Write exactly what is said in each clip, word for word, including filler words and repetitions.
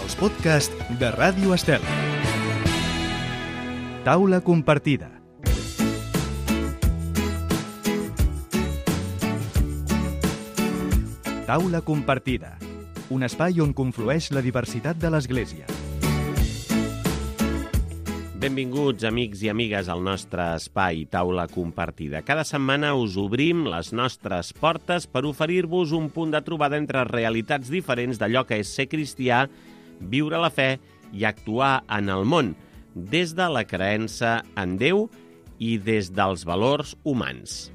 els podcasts de Ràdio Estel. Taula compartida. Taula compartida, un espai on conflueix la diversitat de l'Església. Benvinguts, amics i amigues, al nostre espai Taula compartida. Cada setmana us obrim les nostres portes per oferir-vos un punt de trobada entre realitats diferents d'allò que és ser cristià, viure la fe i actuar en el món, des de la creença en Déu i des dels valors humans.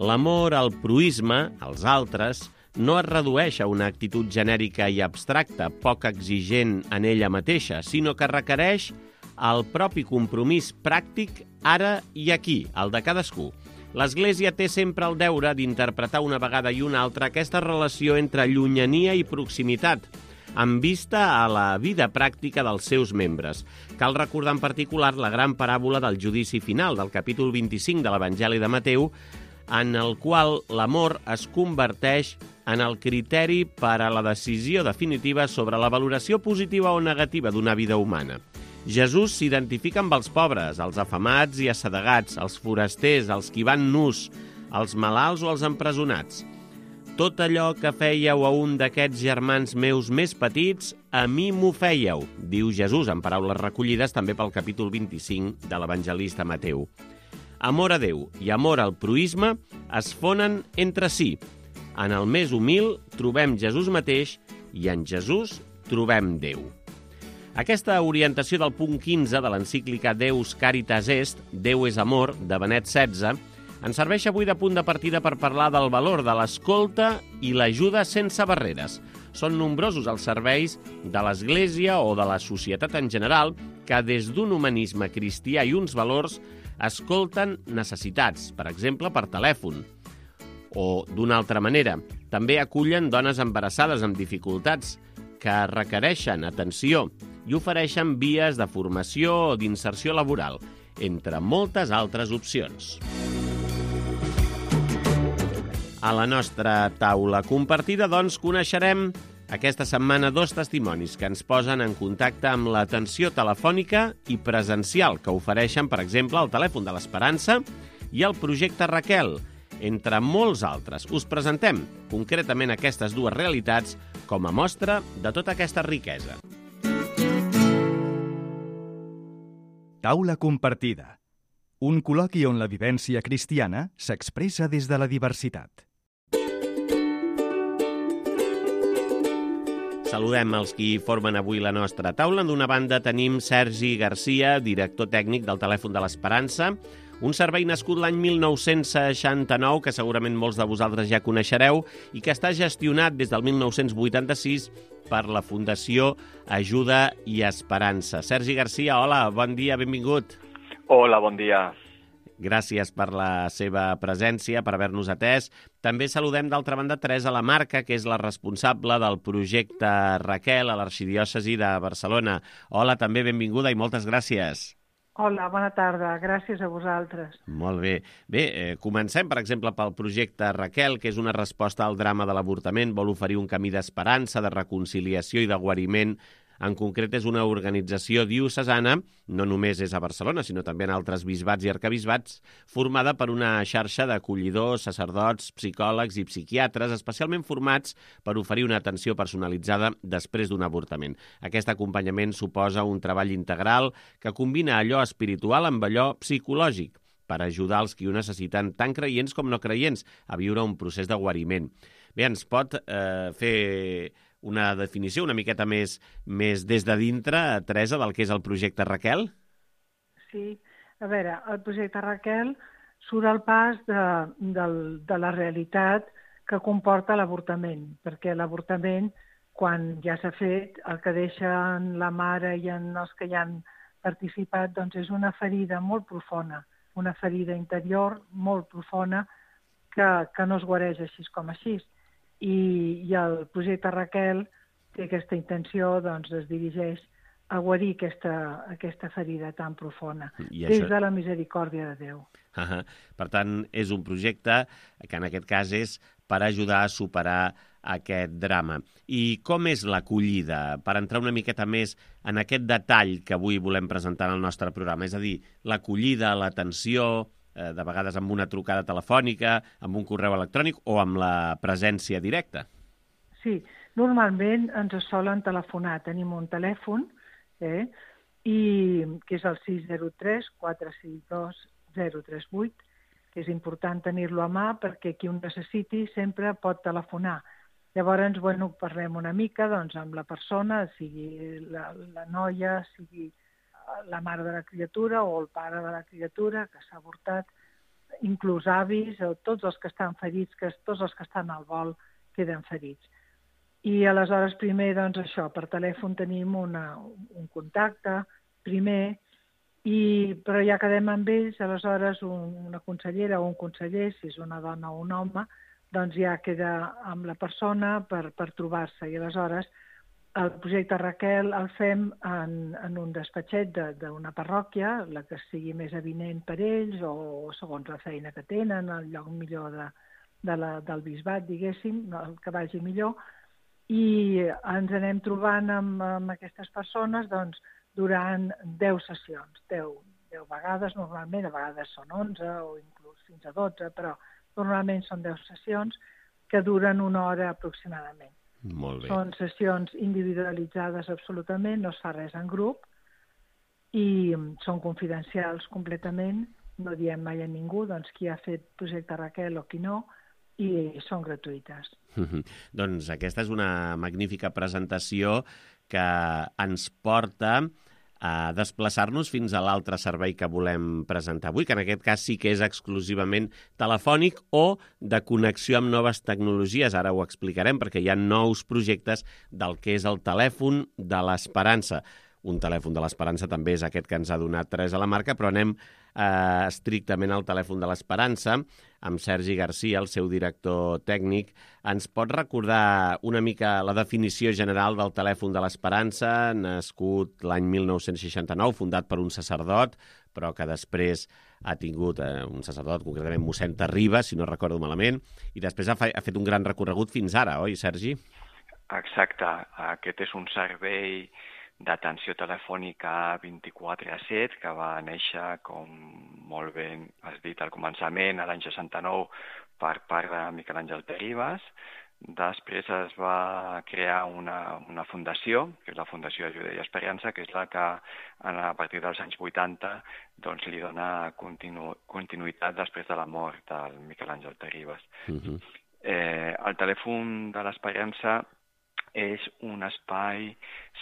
L'amor al proïsme, als altres, no es redueix a una actitud genèrica i abstracta, poc exigent en ella mateixa, sinó que requereix el propi compromís pràctic ara i aquí, el de cadascú. L'Església té sempre el deure d'interpretar una vegada i una altra aquesta relació entre llunyania i proximitat, amb vista a la vida pràctica dels seus membres. Cal recordar en particular la gran paràbola del judici final del capítol vint-i-cinc de l'Evangeli de Mateu, en el qual l'amor es converteix en el criteri per a la decisió definitiva sobre la valoració positiva o negativa d'una vida humana. Jesús s'identifica amb els pobres, els afamats i assedegats, els forasters, els qui van nus, els malalts o els empresonats. Tot allò que fèieu a un d'aquests germans meus més petits, a mi m'ho fèieu, diu Jesús en paraules recollides també pel capítol vint-i-cinc de l'evangelista Mateu. Amor a Déu i amor al proïsme es fonen entre si. En el més humil trobem Jesús mateix i en Jesús trobem Déu. Aquesta orientació del punt quinze de l'encíclica Deus Caritas Est, Déu és amor, de Benet setze, ens serveix avui de punt de partida per parlar del valor de l'escolta i l'ajuda sense barreres. Són nombrosos els serveis de l'Església o de la societat en general que des d'un humanisme cristià i uns valors escolten necessitats, per exemple, per telèfon. O, d'una altra manera, també acullen dones embarassades amb dificultats que requereixen atenció i ofereixen vies de formació o d'inserció laboral, entre moltes altres opcions. A la nostra taula compartida, doncs, coneixerem aquesta setmana dos testimonis que ens posen en contacte amb l'atenció telefònica i presencial que ofereixen, per exemple, el telèfon de l'Esperança i el projecte Raquel, entre molts altres. Us presentem concretament aquestes dues realitats com a mostra de tota aquesta riquesa. Taula compartida. Un col·loqui on la vivència cristiana s'expressa des de la diversitat. Saludem els qui formen avui la nostra taula. D'una banda tenim Sergi Garcia, director tècnic del telèfon de l'Esperança, un servei nascut l'any mil nou-cents seixanta-nou, que segurament molts de vosaltres ja coneixereu, i que està gestionat des del mil nou-cents vuitanta-sis per la Fundació Ajuda i Esperança. Sergi Garcia, hola, bon dia, benvingut. Hola, bon dia. Gràcies per la seva presència, per haver-nos atès. També saludem, d'altra banda, Teresa Lamarca, que és la responsable del projecte Raquel a l'Arxidiòcesi de Barcelona. Hola, també benvinguda i moltes gràcies. Hola, bona tarda. Gràcies a vosaltres. Molt bé. Bé, eh, comencem, per exemple, pel projecte Raquel, que és una resposta al drama de l'avortament. Vol oferir un camí d'esperança, de reconciliació i de guariment. En concret, és una organització diocesana, no només és a Barcelona, sinó també en altres bisbats i arquebisbats, formada per una xarxa d'acollidors, sacerdots, psicòlegs i psiquiatres, especialment formats per oferir una atenció personalitzada després d'un avortament. Aquest acompanyament suposa un treball integral que combina allò espiritual amb allò psicològic, per ajudar els qui ho necessiten, tant creients com no creients, a viure un procés de guariment. Bé, ens pot eh, fer una definició una miqueta més, més des de dintre, Teresa, del que és el projecte Raquel? Sí, a veure, el projecte Raquel surt al pas de, de, de la realitat que comporta l'avortament, perquè l'avortament, quan ja s'ha fet, el que deixa en la mare i en els que hi han participat, doncs és una ferida molt profunda, una ferida interior molt profunda que, que no es guareix així com així. I, i el projecte Raquel té aquesta intenció, doncs es dirigeix a guarir aquesta, aquesta ferida tan profunda, I des això... de la misericòrdia de Déu. Uh-huh. Per tant, és un projecte que en aquest cas és per ajudar a superar aquest drama. I com és l'acollida? Per entrar una miqueta més en aquest detall que avui volem presentar en el nostre programa, és a dir, l'acollida, l'atenció, eh, de vegades amb una trucada telefònica, amb un correu electrònic o amb la presència directa. Sí, normalment ens solen telefonar. Tenim un telèfon, eh, i, que és el sis zero tres quatre sis dos zero tres vuit, que és important tenir-lo a mà perquè qui ho necessiti sempre pot telefonar. Llavors, bueno, parlem una mica doncs, amb la persona, sigui la, la noia, sigui la mare de la criatura o el pare de la criatura que s'ha avortat, inclús avis, o tots els que estan ferits, que tots els que estan al vol queden ferits. I aleshores primer, doncs això, per telèfon tenim una, un contacte, primer, i, però ja quedem amb ells, aleshores un, una consellera o un conseller, si és una dona o un home, doncs ja queda amb la persona per, per trobar-se. I aleshores el projecte Raquel el fem en, en un despatxet d'una parròquia, la que sigui més avinent per ells o segons la feina que tenen, el lloc millor de, de la, del bisbat, diguéssim, el que vagi millor, i ens anem trobant amb, amb aquestes persones doncs, durant deu sessions, deu, deu vegades normalment, a vegades són onze o inclús fins a dotze, però normalment són deu sessions que duren una hora aproximadament. Molt bé. Són sessions individualitzades absolutament, no es fa res en grup i són confidencials completament, no diem mai a ningú doncs, qui ha fet projecte Raquel o qui no, i són gratuïtes. Doncs aquesta és una magnífica presentació que ens porta a desplaçar-nos fins a l'altre servei que volem presentar avui, que en aquest cas sí que és exclusivament telefònic o de connexió amb noves tecnologies. Ara ho explicarem perquè hi ha nous projectes del que és el telèfon de l'Esperança. Un telèfon de l'Esperança també és aquest que ens ha donat Teresa Lamarca, però anem eh, estrictament al telèfon de l'Esperança, amb Sergi Garcia, el seu director tècnic. Ens pot recordar una mica la definició general del telèfon de l'Esperança, nascut l'any mil nou-cents seixanta-nou, fundat per un sacerdot, però que després ha tingut eh, un sacerdot, concretament mossèn Terribas, si no recordo malament, i després ha, fa, ha fet un gran recorregut fins ara, oi, Sergi? Exacte. Aquest és un servei d'atenció telefònica vint-i-quatre a set, que va néixer, com molt bé has dit al començament, a l'any seixanta-nou, per part de Miquel Àngel Terribas. Després es va crear una, una fundació, que és la Fundació Ajuda i Esperança, que és la que a partir dels anys vuitanta doncs, li dona continu, continuïtat després de la mort del Miquel Àngel Terribas. Uh-huh. eh, el telèfon de l'Esperança és un espai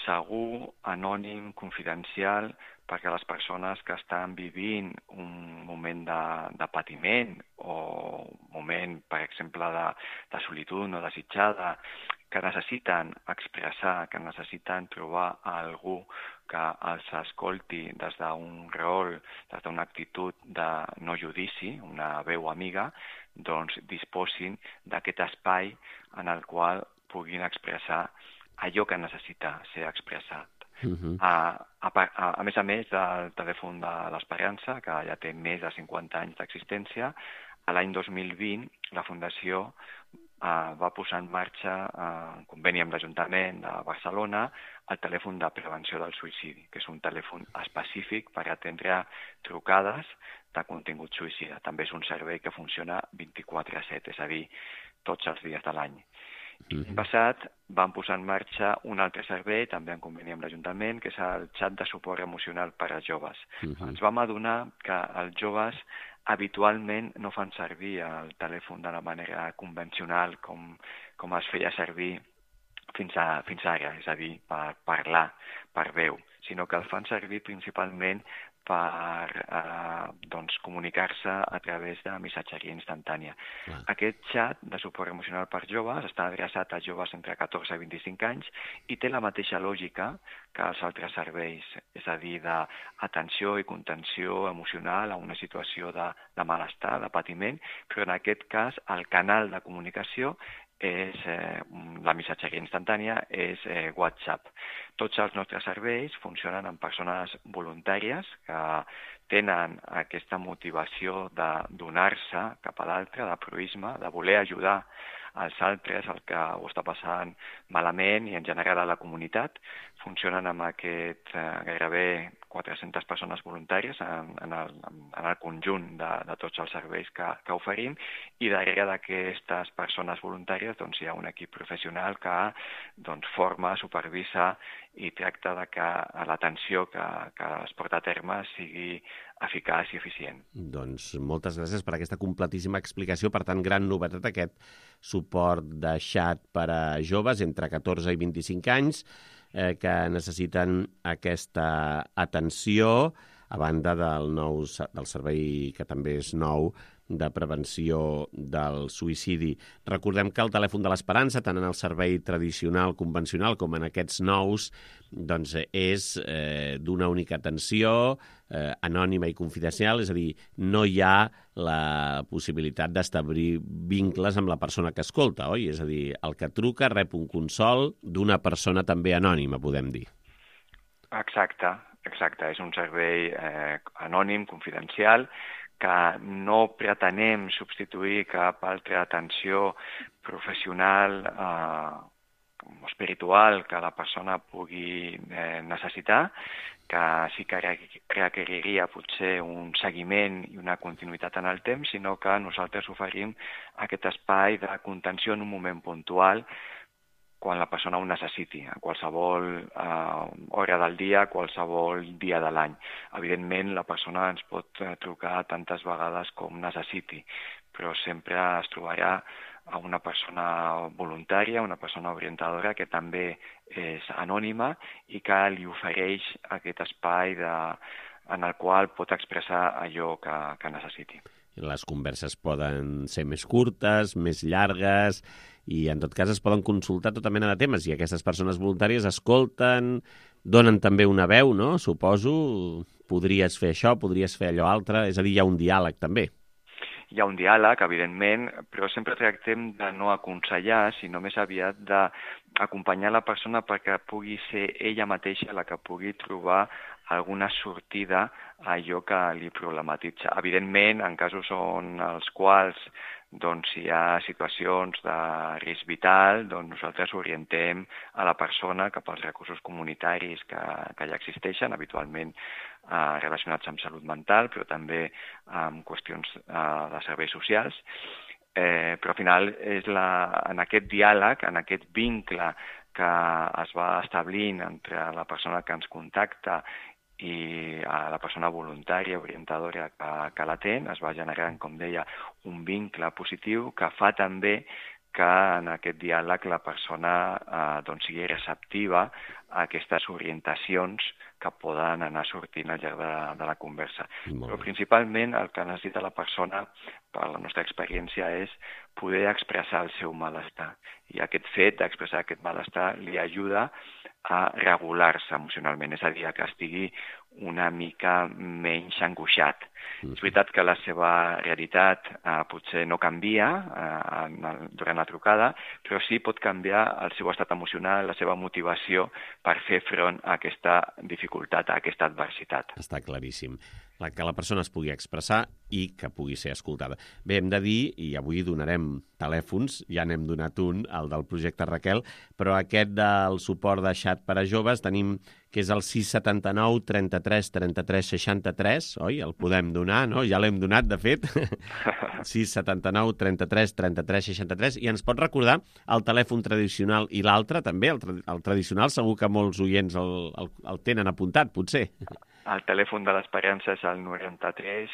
segur, anònim, confidencial, perquè les persones que estan vivint un moment de, de patiment o un moment, per exemple, de, de solitud no desitjada, que necessiten expressar, que necessiten trobar algú que els escolti des d'un rol, des d'una actitud de no judici, una veu amiga, doncs disposin d'aquest espai en el qual puguin expressar allò que necessita ser expressat. Uh-huh. a, a, a, a més a més del telèfon de l'Esperança, que ja té més de cinquanta anys d'existència, a l'any dos mil vint la Fundació uh, va posar en marxa, uh, en conveni amb l'Ajuntament de Barcelona, el telèfon de prevenció del suïcidi, que és un telèfon específic per atendre trucades de contingut suïcida. També és un servei que funciona vint-i-quatre a set, és a dir, tots els dies de l'any. L'any passat vam posar en marxa un altre servei, també en conveni amb l'Ajuntament, que és el xat de suport emocional per als joves. Uh-huh. Ens vam adonar que els joves habitualment no fan servir el telèfon de la manera convencional com, com es feia servir fins, a, fins ara, és a dir, per parlar, per veu, sinó que el fan servir principalment per eh, doncs, comunicar-se a través de missatgeria instantània. Ah. Aquest xat de suport emocional per joves està adreçat a joves entre catorze i vint-i-cinc anys i té la mateixa lògica que els altres serveis, és a dir, d'atenció i contenció emocional a una situació de, de malestar, de patiment, però en aquest cas el canal de comunicació és eh, la missatgeria instantània, és eh, WhatsApp. Tots els nostres serveis funcionen amb persones voluntàries que tenen aquesta motivació de donar-se cap a l'altre, de proisme, de voler ajudar als altres, el que ho està passant malament i en general a la comunitat. Funcionen amb aquest eh, gairebé quatre-centes persones voluntàries en, en, el, en el conjunt de, de tots els serveis que, que oferim, i darrere d'aquestes persones voluntàries doncs, hi ha un equip professional que doncs, forma, supervisa i tracta de que l'atenció que, que es porta a terme sigui eficaç i eficient. Doncs moltes gràcies per aquesta completíssima explicació. Per tant, gran novetat aquest suport de xat per a joves entre catorze i vint-i-cinc anys eh, que necessiten aquesta atenció, a banda del, nou, del servei que també és nou de prevenció del suïcidi. Recordem que el telèfon de l'Esperança, tant en el servei tradicional, convencional, com en aquests nous, doncs és eh, d'una única atenció, eh, anònima i confidencial, és a dir, no hi ha la possibilitat d'establir vincles amb la persona que escolta, oi? És a dir, el que truca rep un consol d'una persona també anònima, podem dir. Exacte, exacte. És un servei eh, anònim, confidencial, que no pretenem substituir cap altra atenció professional eh, o espiritual que la persona pugui eh, necessitar, que sí que requeriria potser un seguiment i una continuïtat en el temps, sinó que nosaltres oferim aquest espai de contenció en un moment puntual quan la persona ho necessiti, a qualsevol eh, hora del dia, a qualsevol dia de l'any. Evidentment, la persona ens pot trucar tantes vegades com necessiti, però sempre es trobarà a una persona voluntària, una persona orientadora que també és anònima i que li ofereix aquest espai de, en el qual pot expressar allò que, que necessiti. Les converses poden ser més curtes, més llargues, i en tot cas es poden consultar tota mena de temes, i aquestes persones voluntàries escolten, donen també una veu, no? Suposo, podries fer això, podries fer allò altre, és a dir, hi ha un diàleg també. Hi ha un diàleg, evidentment, però sempre tractem de no aconsellar, sinó més aviat d'acompanyar la persona perquè pugui ser ella mateixa la que pugui trobar alguna sortida a allò que li problematitza. Evidentment, en casos on els quals doncs, si hi ha situacions de risc vital, doncs nosaltres orientem a la persona cap als recursos comunitaris que, que ja existeixen, habitualment eh, relacionats amb salut mental, però també amb qüestions eh, de serveis socials. Eh, però al final és la, en aquest diàleg, en aquest vincle que es va establint entre la persona que ens contacta i a la persona voluntària, orientadora que, que l'atén, es va generant, com deia, un vincle positiu que fa també que en aquest diàleg la persona eh, doncs, sigui receptiva a aquestes orientacions que poden anar sortint al llarg de, de la conversa. Però principalment el que necessita la persona, per la nostra experiència, és poder expressar el seu malestar. I aquest fet d'expressar aquest malestar li ajuda a regular-se emocionalment, és a dir, que estigui una mica menys angoixat. Mm. És veritat que la seva realitat eh, potser no canvia eh, en el, durant la trucada, però sí pot canviar el seu estat emocional, la seva motivació per fer front a aquesta dificultat, a aquesta adversitat. Està claríssim. Que la persona es pugui expressar i que pugui ser escoltada. Bé, hem de dir, i avui donarem telèfons, ja n'hem donat un, el del projecte Raquel, però aquest del suport de xat per a joves tenim que és el sis setanta nou trenta-tres trenta-tres seixanta-tres, oi? El podem donar, no? Ja l'hem donat, de fet. sis setanta nou trenta-tres trenta-tres seixanta-tres. I ens pot recordar el telèfon tradicional i l'altre, també? El, tra el tradicional segur que molts oients el, el, el tenen apuntat, potser. El telèfon de l'Esperança és el noranta-tres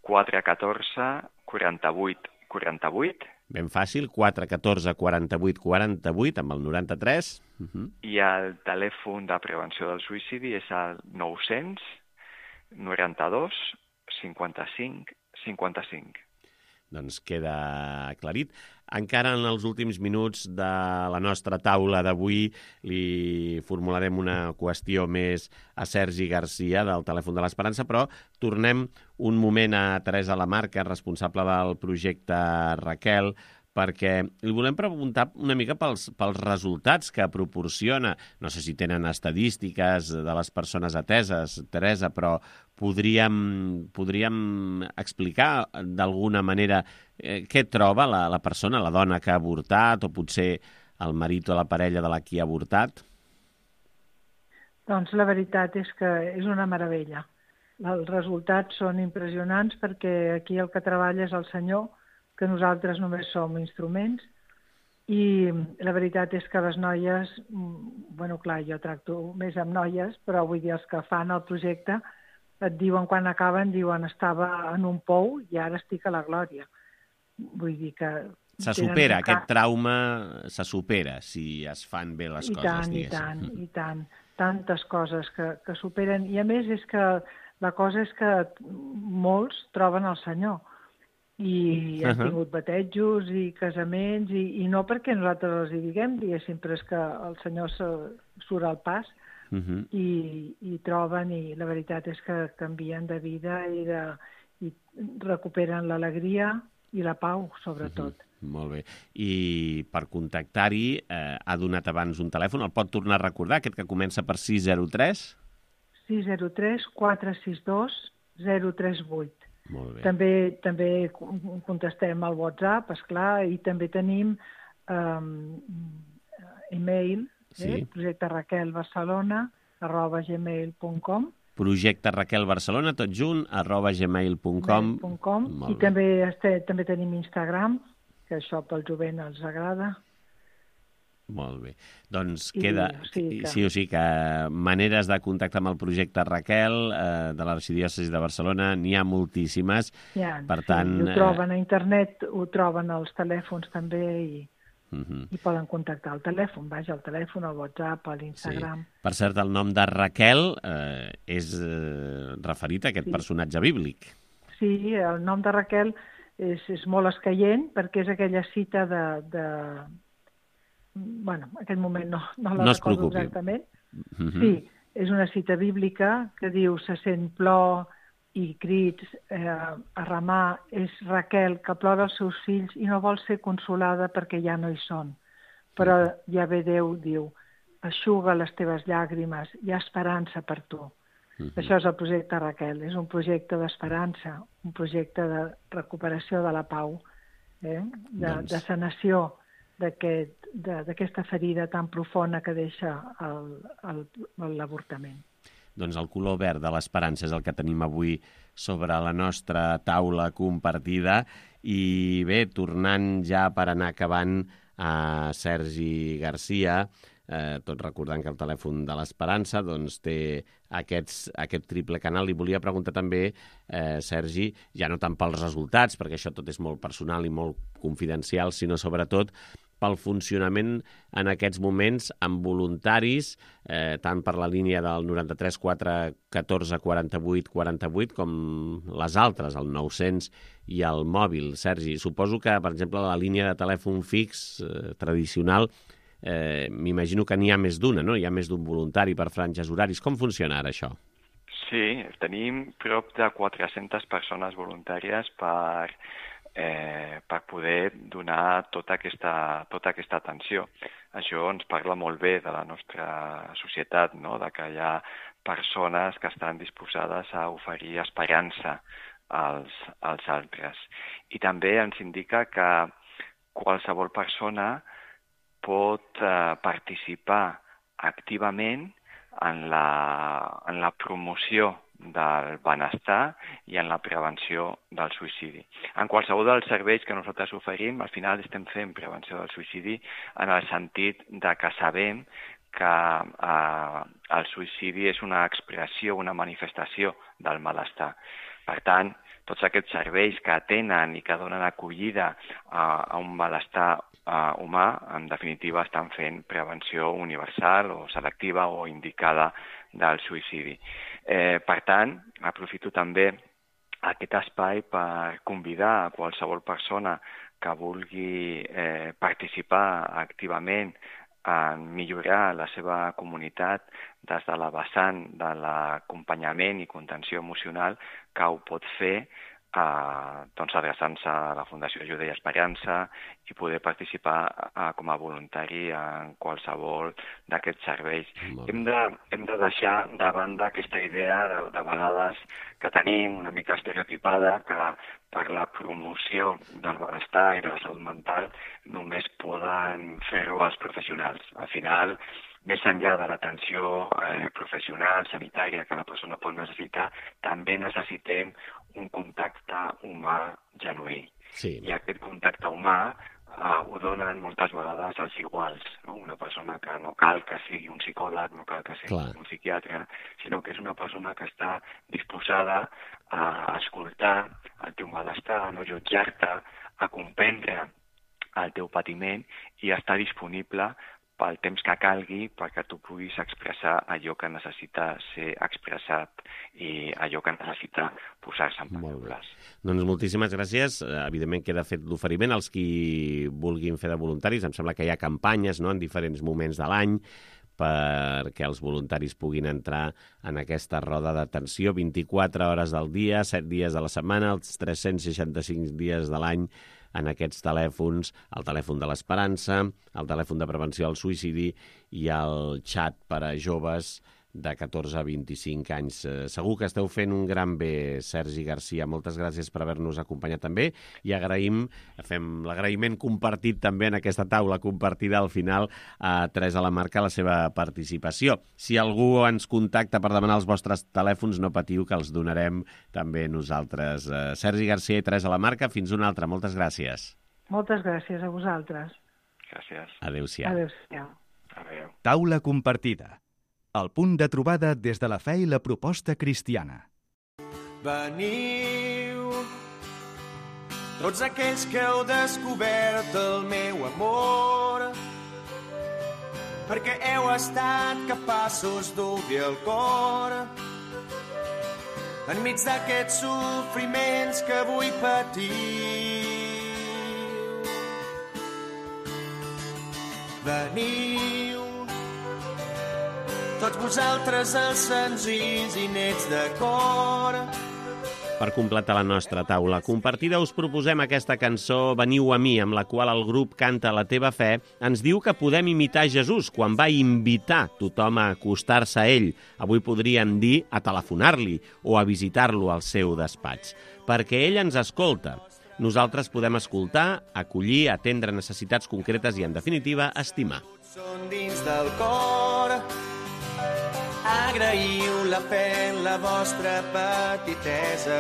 quatre catorze quaranta-vuit quaranta-vuit. Ben fàcil, quatre catorze quaranta-vuit quaranta-vuit amb el noranta-tres. Uh -huh. I el telèfon de prevenció del suïcidi és el nou-cents noranta-dos cinquanta-cinc cinquanta-cinc. Doncs queda aclarit. Encara en els últims minuts de la nostra taula d'avui li formularem una qüestió més a Sergi Garcia del telèfon de l'Esperança, però tornem un moment a Teresa Lamarca, responsable del projecte Raquel, perquè li volem preguntar una mica pels, pels resultats que proporciona. No sé si tenen estadístiques de les persones ateses, Teresa, però podríem, podríem explicar d'alguna manera eh, què troba la, la persona, la dona que ha avortat, o potser el marit o la parella de la qui ha avortat? Doncs la veritat és que és una meravella. Els resultats són impressionants perquè aquí el que treballa és el Senyor, que nosaltres només som instruments, i la veritat és que les noies, bueno, clar, jo tracto més amb noies, però vull dir, els que fan el projecte et diuen quan acaben, diuen estava en un pou i ara estic a la glòria. Vull dir que... Se supera, aquest trauma se supera si es fan bé les I coses, tant, diguéssim. I tant, i tant. Tantes coses que, que superen. I a més és que la cosa és que molts troben el Senyor. I han tingut batejos i casaments, i, i no perquè nosaltres els hi diguem, diguéssim, però és que el Senyor se, surt al pas uh -huh. i, i troben, i la veritat és que canvien de vida i, de, i recuperen l'alegria i la pau, sobretot. Uh -huh. Molt bé. I per contactar-hi, eh, ha donat abans un telèfon, el pot tornar a recordar, aquest que comença per sis zero tres? sis zero tres quatre sis dos zero tres vuit. Molt bé. També, també contestem al WhatsApp, esclar, i també tenim um, e-mail, sí. eh? projecte raquel barcelona arroba gmail punt com. Projecte Raquel Barcelona, tot junt, arroba gmail punt com. I també, este, també tenim Instagram, que això pel jovent els agrada. Molt bé. Doncs I, queda... O sigui que... Sí o sí, que maneres de contactar amb el projecte Raquel eh, de l'Arxidiòcesi de Barcelona n'hi ha moltíssimes. Ja, per sí, tant, ho troben a internet, ho troben als telèfons també i, uh -huh. i poden contactar al telèfon, vaja, al telèfon, al WhatsApp, a l'Instagram. Sí. Per cert, el nom de Raquel eh, és eh, referit a aquest sí. personatge bíblic. Sí, el nom de Raquel és, és molt escaient perquè és aquella cita de... de... bueno, en aquest moment no, no la no recordo exactament. Uh-huh. Sí, és una cita bíblica que diu se sent plor i crits eh, a remar. És Raquel que plora els seus fills i no vol ser consolada perquè ja no hi són. Però uh-huh. ja ve Déu, diu, eixuga les teves llàgrimes, hi ha esperança per tu. Uh-huh. Això és el projecte Raquel, és un projecte d'esperança, un projecte de recuperació de la pau, eh? de, doncs... de sanació d'aquesta ferida tan profunda que deixa l'avortament. Doncs el color verd de l'esperança és el que tenim avui sobre la nostra taula compartida. I bé, tornant ja per anar acabant a Sergi Garcia, eh, tot recordant que el telèfon de l'Esperança doncs, té aquests, aquest triple canal. Li volia preguntar també, eh, Sergi, ja no tant pels resultats, perquè això tot és molt personal i molt confidencial, sinó sobretot pel funcionament en aquests moments amb voluntaris, eh, tant per la línia del noranta-tres quatre catorze quaranta-vuit quaranta-vuit com les altres, el nou-cents i el mòbil. Sergi, suposo que, per exemple, la línia de telèfon fix eh, tradicional, eh, m'imagino que n'hi ha més d'una, no? Hi ha més d'un voluntari per franges horaris. Com funciona ara això? Sí, tenim prop de quatre-centes persones voluntàries per... Eh, per poder donar tota aquesta, tota aquesta atenció. Això ens parla molt bé de la nostra societat, no? De que hi ha persones que estan disposades a oferir esperança als, als altres. I també ens indica que qualsevol persona pot eh, participar activament en la, en la promoció del benestar i en la prevenció del suïcidi. En qualsevol dels serveis que nosaltres oferim, al final estem fent prevenció del suïcidi en el sentit de que sabem que eh, el suïcidi és una expressió, una manifestació del malestar. Per tant, tots aquests serveis que atenen i que donen acollida a, a un malestar uh, humà, en definitiva estan fent prevenció universal o selectiva o indicada del suïcidi. Eh, per tant, aprofito també aquest espai per convidar a qualsevol persona que vulgui eh, participar activament en millorar la seva comunitat des de la vessant de l'acompanyament i contenció emocional, que ho pot fer eh, doncs adreçant-se a la Fundació Ajuda i Esperança i poder participar eh, com a voluntari en qualsevol d'aquests serveis. Hem de, hem de deixar de banda aquesta idea de, de vegades que tenim una mica estereotipada que per la promoció del benestar i de la salut mental només poden fer-ho els professionals. Al final, més enllà de l'atenció eh, professional, sanitària que la persona pot necessitar, també necessitem un contacte humà genuí. Sí. I aquest contacte humà eh, ho donen moltes vegades els iguals. No? Una persona que no cal que sigui un psicòleg, no cal que sigui Clar. un psiquiatre, sinó que és una persona que està disposada a escoltar el teu malestar, a no jutjar-te, a comprendre el teu patiment i a estar disponible pel temps que calgui perquè tu puguis expressar allò que necessita ser expressat i allò que necessita posar-se en paraules. Doncs moltíssimes gràcies. Evidentment queda fet l'oferiment als qui vulguin fer de voluntaris. Em sembla que hi ha campanyes, no?, en diferents moments de l'any perquè els voluntaris puguin entrar en aquesta roda d'atenció vint-i-quatre hores del dia, set dies de la setmana, els tres-cents seixanta-cinc dies de l'any en aquests telèfons, el telèfon de l'Esperança, el telèfon de prevenció al suïcidi i el xat per a joves de catorze a vint-i-cinc anys. Segur que esteu fent un gran bé, Sergi Garcia. Moltes gràcies per haver-nos acompanyat també i agraïm, fem l'agraïment compartit també en aquesta taula compartida al final a Teresa Lamarca la seva participació. Si algú ens contacta per demanar els vostres telèfons, no patiu que els donarem també nosaltres. Sergi Garcia i Teresa Lamarca, fins una altra. Moltes gràcies. Moltes gràcies a vosaltres. Gràcies. Adéu-siau. Adéu-siau. Adéu. Taula compartida. El punt de trobada des de la fe i la proposta cristiana. Veniu, tots aquells que heu descobert el meu amor, perquè heu estat capaços d'obrir el cor enmig d'aquests sofriments que avui patiu. Veniu, tots vosaltres els senzills i nets de cor. Per completar la nostra taula compartida us proposem aquesta cançó Veniu a mi, amb la qual el grup Canta la teva fe ens diu que podem imitar Jesús quan va invitar tothom a acostar-se a ell. Avui podríem dir a telefonar-li o a visitar-lo al seu despatx, perquè ell ens escolta. Nosaltres podem escoltar, acollir, atendre necessitats concretes i, en definitiva, estimar. Són dins del cor. Agraïu la fe en la vostra petitesa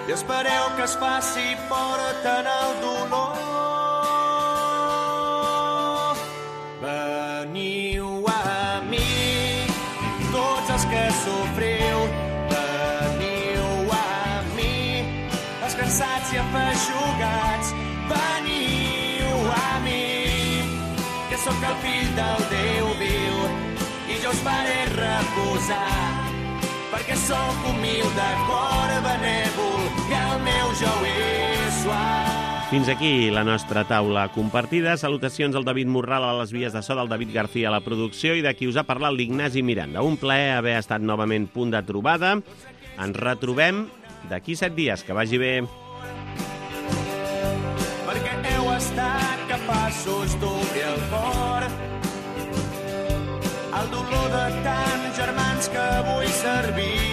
i espereu que es faci fort en el dolor. Veniu a mi, tots els que sofriu, veniu a mi, els cansats i afeixugats, veniu a mi, que sóc el fill del Déu viu i jo us faré reposar, perquè sóc humil de cor benèvol i el meu jou és suau. Fins aquí la nostra taula compartida. Salutacions al David Morral a les vies de so, del David García a la producció i de qui us ha parlat l'Ignasi Miranda. Un plaer haver estat novament punt de trobada. Ens retrobem d'aquí set dies. Que vagi bé. Perquè heu estat capaços d'obrir el cor el dolor de tants germans que vull servir.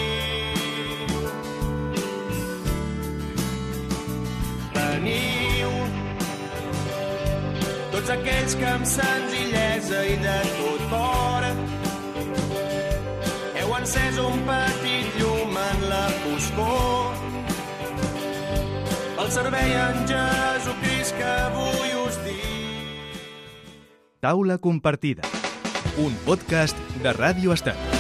Veniu, tots aquells que amb senzillesa i de tot cor heu encès un petit llum en la foscor pel servei en Jesucrist que vull us dir. Taula compartida. Un podcast de Ràdio Estat.